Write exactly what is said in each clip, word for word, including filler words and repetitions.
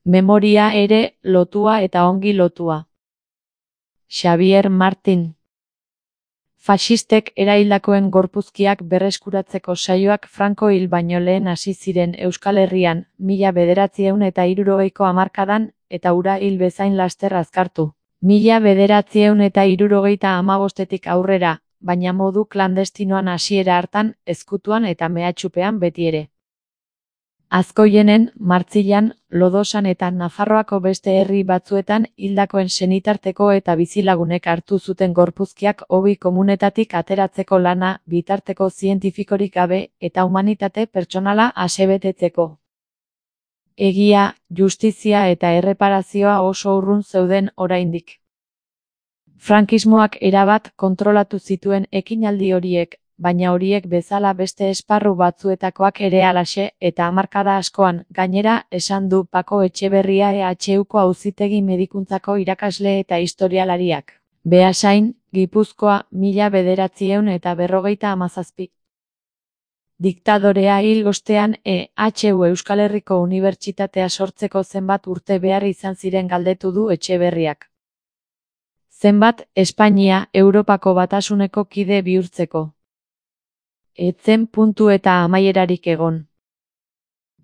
Memoria ere lotua eta ongi lotua. Xavier Martin. Faxistek eraildakoen gorpuzkiak berreskuratzeko saioak Franco hil baino lehen hasi ziren Euskal Herrian, mila bederatziehun eta hirurogeiko hamarkadan, eta hura hil bezain laster azkartu. Mila bederatziehun eta hirurogeita hamabostetik aurrera, baina modu klandestinoan hasiera hartan, ezkutuan eta mehatxupean betiere. Azkoienen, Martzilan, Lodosan eta Nafarroako beste herri batzuetan hildakoen senitarteko eta bizilagunek hartu zuten gorpuzkiak hobi komunetatik ateratzeko lana, bitarteko zientifikorik gabe eta humanitate pertsonala asebetetzeko. Egia, justizia eta erreparazioa oso urrun zeuden oraindik. Frankismoak erabat kontrolatu zituen ekinaldi horiek, baina horiek bezala beste esparru batzuetakoak ere halaxe, eta hamarkada askoan, gainera, esan du Pako Etxeberria E H Uko Auzitegi Medikuntzako irakasle eta historialariak. Beasain, Gipuzkoa, mila bederatziehun eta berrogeita hamazazpi. Diktadorea hil ostean E H U Euskal Herriko Unibertsitatea sortzeko zenbat urte behar izan ziren galdetu du Etxeberriak. Zenbat, Espainia, Europako Batasuneko kide bihurtzeko. Etzen puntu eta amaierarik egon.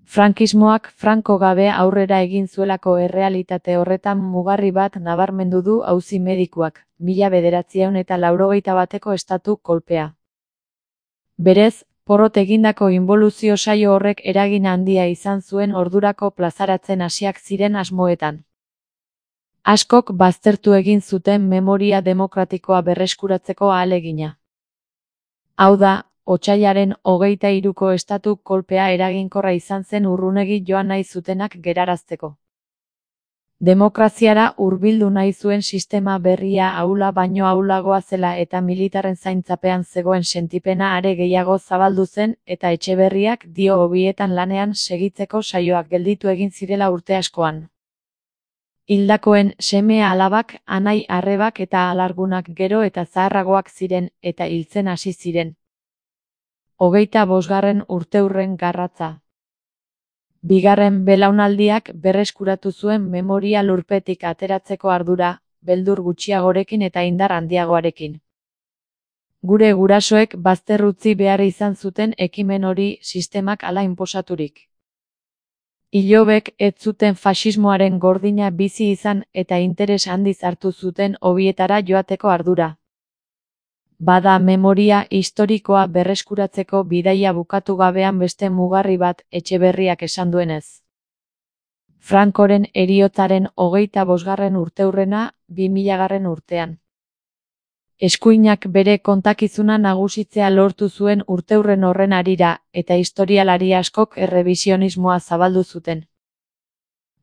Frankismoak Franco gabe aurrera egin zuelako errealitate horretan mugarri bat nabarmendu du auzi medikuak, mila bederatziehun eta laurogeita bateko estatu kolpea. Berez, porrot egindako inboluzio saio horrek eragin handia izan zuen ordurako plazaratzen hasiak ziren asmoetan. Askok baztertu egin zuten memoria demokratikoa berreskuratzeko ahalegina. Hau da, otsailaren hogeita hiruko estatu kolpea eraginkorra izan zen urrunegi joan nahi zutenak gerarazteko. Demokraziara hurbildu nahi zuen sistema berria ahula baino ahulagoa zela eta militarren zaintzapean zegoen sentipena are gehiago zabaldu zen eta Etxeberriak dio hobietan lanean segitzeko saioak gelditu egin zirela urte askoan. Hildakoen seme alabak, anai arrebak eta alargunak gero eta zaharragoak ziren eta hiltzen hasi ziren. Hogeita bosgarren urteurren garratza. Bigarren belaunaldiak berreskuratu zuen memoria lurpetik ateratzeko ardura, beldur gutxiagorekin eta indar handiagoarekin. Gure gurasoek bazter utzi behar izan zuten ekimen hori sistemak hala inposaturik. Ilobek ez zuten faxismoaren gordina bizi izan eta interes handiz hartu zuten hobietara joateko ardura. Bada memoria historikoa berreskuratzeko bidaia bukatu gabean beste mugarri bat Etxeberriak esan duenez. Francoren heriotzaren hogeita bosgarren urteurrena, bi milagarren urtean. Eskuinak bere kontakizuna nagusitzea lortu zuen urteurren horren harira, eta historialari askok errebisionismoa zabaldu zuten.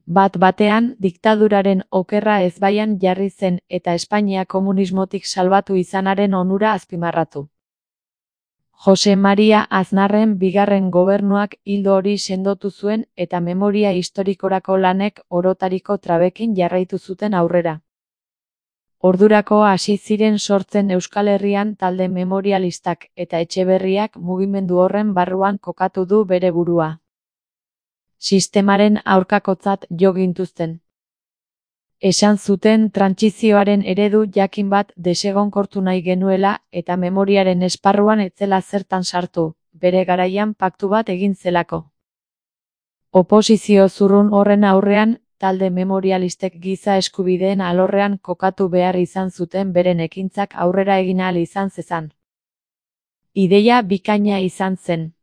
Bat batean, diktaduraren okerra ezbaian jarri zen eta Espainia komunismotik salbatu izanaren onura azpimarratu. Jose Maria Aznarren bigarren gobernuak ildo hori sendotu zuen eta memoria historikorako lanek orotariko trabekin jarraitu zuten aurrera. Ordurako hasi ziren sortzen Euskal Herrian talde memorialistak eta Etxeberriak mugimendu horren barruan kokatu du bere burua. Sistemaren aurkakotzat jo gintuzten. Esan zuten trantsizioaren eredu jakin bat desegonkortu nahi genuela eta memoriaren esparruan etzela zertan sartu, bere garaian paktu bat egin zelako. Oposizio zurrun horren aurrean, talde memorialistek giza eskubideen alorrean kokatu behar izan zuten beren ekintzak aurrera egin ahal izan zezan. Ideia bikaina izan zen.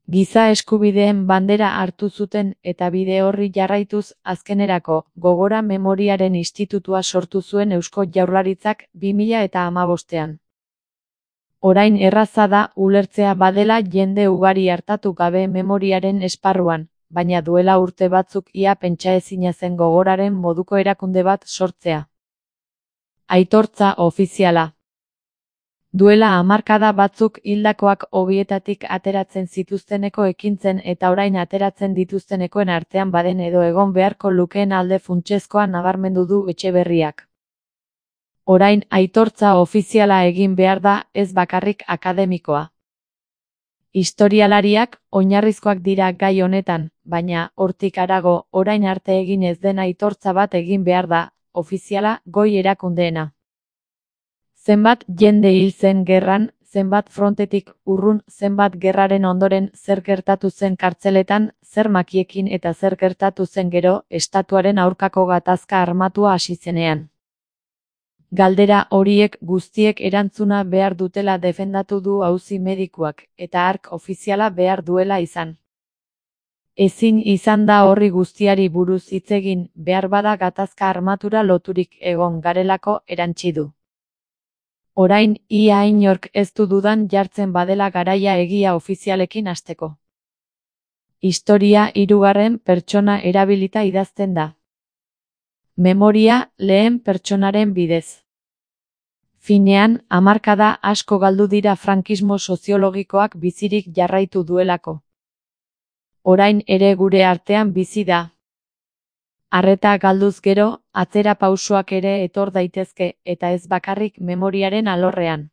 Giza eskubideen bandera hartu zuten eta bide horri jarraituz azkenerako Gogora Memoriaren Institutua sortu zuen Eusko Jaurlaritzak bi mila eta hamabostean. Orain erraza da ulertzea badela jende ugari hartatu gabe memoriaren esparruan, baina duela urte batzuk ia pentsaezina zen Gogoraren moduko erakunde bat sortzea. Aitortza ofiziala. Duela hamarkada batzuk hildakoak hobietatik ateratzen zituzteneko ekintzen eta orain ateratzen dituztenekoen artean baden edo egon beharko lukeen alde funtsezkoa nabarmendu du Etxeberriak. Orain aitortza ofiziala egin behar da, ez bakarrik akademikoa. Historialariak oinarrizkoak dira gai honetan, baina, hortik harago, orain arte egin ez den aitortza bat egin behar da, ofiziala, goi erakundeena. Zenbat jende hil zen gerran, zenbat frontetik urrun, zenbat gerraren ondoren zer gertatu zen kartzeletan, zer makiekin eta zer gertatu zen gero, estatuaren aurkako gatazka armatua hasi zenean. Galdera horiek guztiek erantzuna behar dutela defendatu du auzi medikuak, eta hark ofiziala behar duela izan. Ezin izan da horri guztiari buruz hitz egin, behar bada gatazka armatura loturik egon garelako erantsi du. Orain, ia inork ez du dudan jartzen badela garaia egia ofizialekin hasteko. Historia hirugarren pertsona erabilita idazten da. Memoria lehen pertsonaren bidez. Finean, hamarkada asko galdu dira frankismo soziologikoak bizirik jarraitu duelako. Orain ere gure artean bizi da. Arreta galduz gero, atzera pausoak ere etor daitezke, eta ez bakarrik memoriaren alorrean.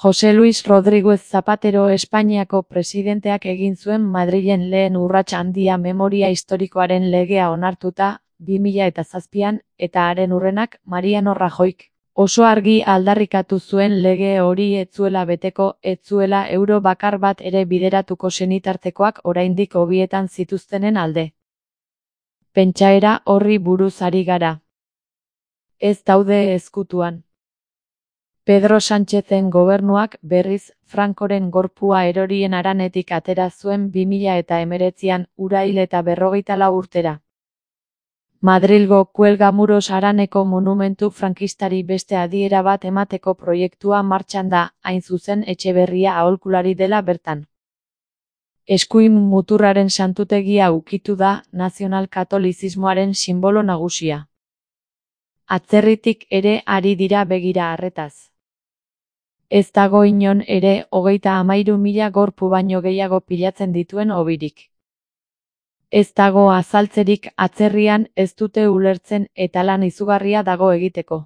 Jose Luis Rodríguez Zapatero Espainiako presidenteak egin zuen Madrilen lehen urrats handia memoria historikoaren legea onartuta, bi mila zazpian, eta haren hurrenak Mariano Rajoyk oso argi aldarrikatu zuen lege hori ez zuela beteko, ez zuela euro bakar bat ere bideratuko senitartekoak oraindik hobietan zituztenen alde. Pentsaera horri buruz ari gara. Ez daude ezkutuan. Pedro Sánchezen gobernuak berriz Francoren gorpua erorien haranetik atera zuen bi mila hemeretzian urail eta berrogeita lau urtera. Madrilgo Kuelgamuros haraneko monumentu frankistari beste adiera bat emateko proiektua martxan da, hain zuzen Etxeberria aholkulari dela bertan. Eskuin muturraren santutegia ukitu da nazional-katolizismoaren sinbolo nagusia. Atzerritik ere ari dira begira harretaz. Ez dago inon ere hogeita hamairu mila gorpu baino gehiago pilatzen dituen hobirik. Ez dago azaltzerik atzerrian ez dute ulertzen eta lan izugarria dago egiteko.